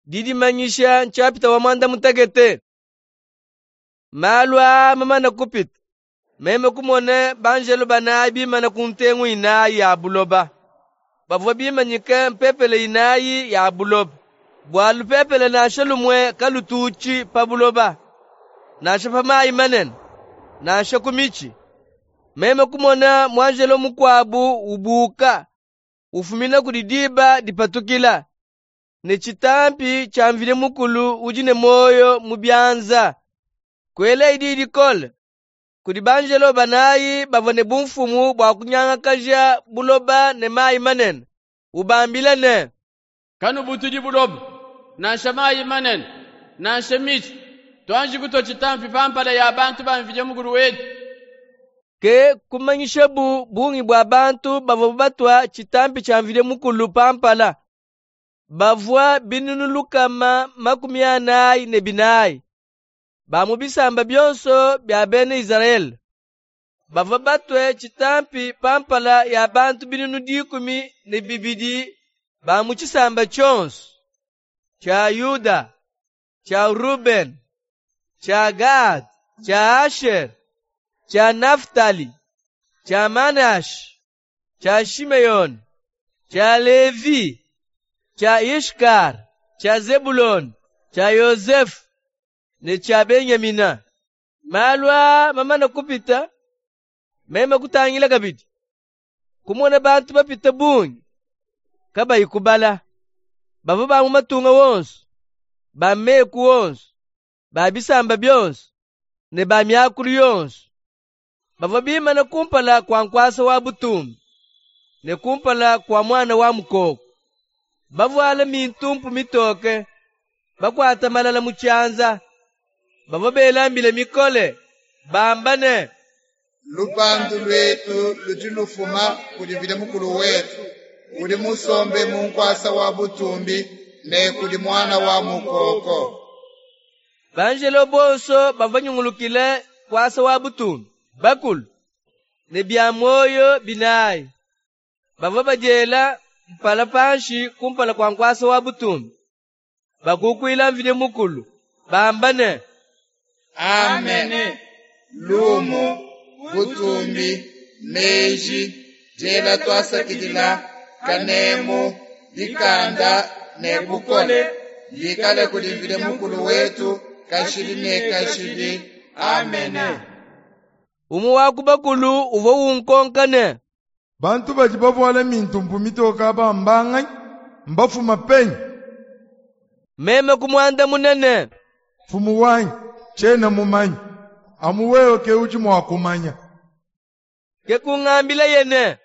Didimanyisha nshapita wa muanda mutekete. Malu aa mamane kupita, meme kumona banjelo banayi bimane ku ntengu inayi ya buloba. Bavua bimanyike mpepele inayi ya buloba, bua lupepele nansha lumue kalututshi pa buloba, nansha pa mayi manene, nansha ku mitshi. Meme kumona muanjelo mukuabu ubuuka, ufumina kudi diba dipatukila, ne tshitampi tshia Mvidi Mukulu udi ne muoyo mu bianza. Kuelaye diyi dikole kudi banjelo banayi bavua ne bumfumu bua kunyangakaja buloba ne mayi manene, ubambila ne, Kanubutudi buloba, nansha mayi manene, nansha mitshi. Tuanji kutua tshitampi pa mpala ya bantu ba Mvidi Mukulu wetu. Ke kumanyishabu bungi bua bantu bavua batua tshitampi tshia Mvidi Mukulu pa mpala. Bavua binunu 444, ba mu bisamba bionso bia bena Izrayele. Bavua batue tshitampi pa mpala ya bantu binunu 12 ba mu tshisamba tshionso, tshia Yuda, tshia Rubene, tshia Gade, tshia Ashere, tshia Naftali, tshia Manashe, tshia Shimeyone, tshia Levi, tshia Ishkare, tshia Zebulone, tshia Yozefe ne tshia Benyamina. Malu aa mamane kupita, meme kutangila kabidi, kumona bantu bapite bungi, kabayi kubala, bavua ba mu matunga wonso, ba meku wonso, ba bisamba bionso ne ba miakulu yonso. Bavua bimane kumpala kua nkuasa wa butumbi ne kumpala kua Muana wa Mukoko, bavuale mintumpu mitoke, bakuata malala mu tshianza. Bavua bela mbila mikole, bamba ne, Lupandu luetu ludi lufuma kudi Mvidi Mukulu wetu, udi musombe mu nkuasa wa butumbi, ne kudi Muana wa Mukoko. Banjelo bonso bavua banyungulukile nkuasa wa butumbi, bakulu ne bia muoyo binayi, bavua badiela mpala panshi kumpala kua nkuasa wa butumbi, bakukuila Mvidi Mukulu, bamba ne, Amene. Lumu, butumbi, meji, diela tuasakidila, kanemu, dikanda ne bukole bikale kudi Mvidi Mukulu wetu kashidi ne kashidi. Amene. Umue wa ku bakulu uvua unkonka ne, Bantu badi bavuale mintumpu mitoke aba mbanganyi? Mbafuma penyi? Meme kumuandamuna ne, Mfumu wanyi, tshiena mumanye, amu wewe ke udi mua kumanya. Ke kungambilaye ne,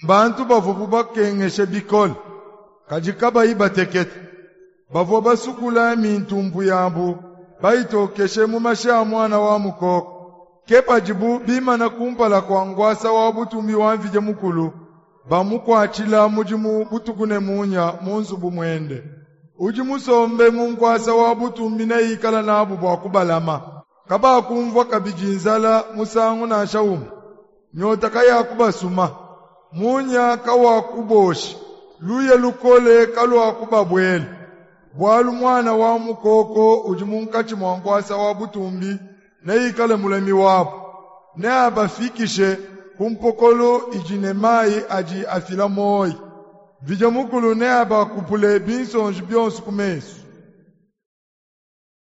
Mbantu bavuabu bakengeshe bikole, kadi kabayi batekete. Bavua basukula mintumpu yabu, bayitokeshe mu mashi a Muana wa Mukoko. Ke padibu bimana kumpala kua nkuasa wa butumbi wa Mvidi Mukulu, bamukuatshila mudimu butuku ne munya mu nzubu muende. Udi musombe mu nkuasa wa butumbi neikale nabu bua kubalama. Kabakumvua kabidi nzala musangu nansha umue. Nyota kayakubasuma, munya kawakubosha, luya lukole kaluakubabuela. Bualu Muana wa Mukoko udi munkatshi mua nkuasa wa butumbi neikale mulami wabu, neabafikishe ku mpokolo idi ne mayi adi afila muoyo. Mvidi Mukulu neabakupule binsonji bionso ku mesu.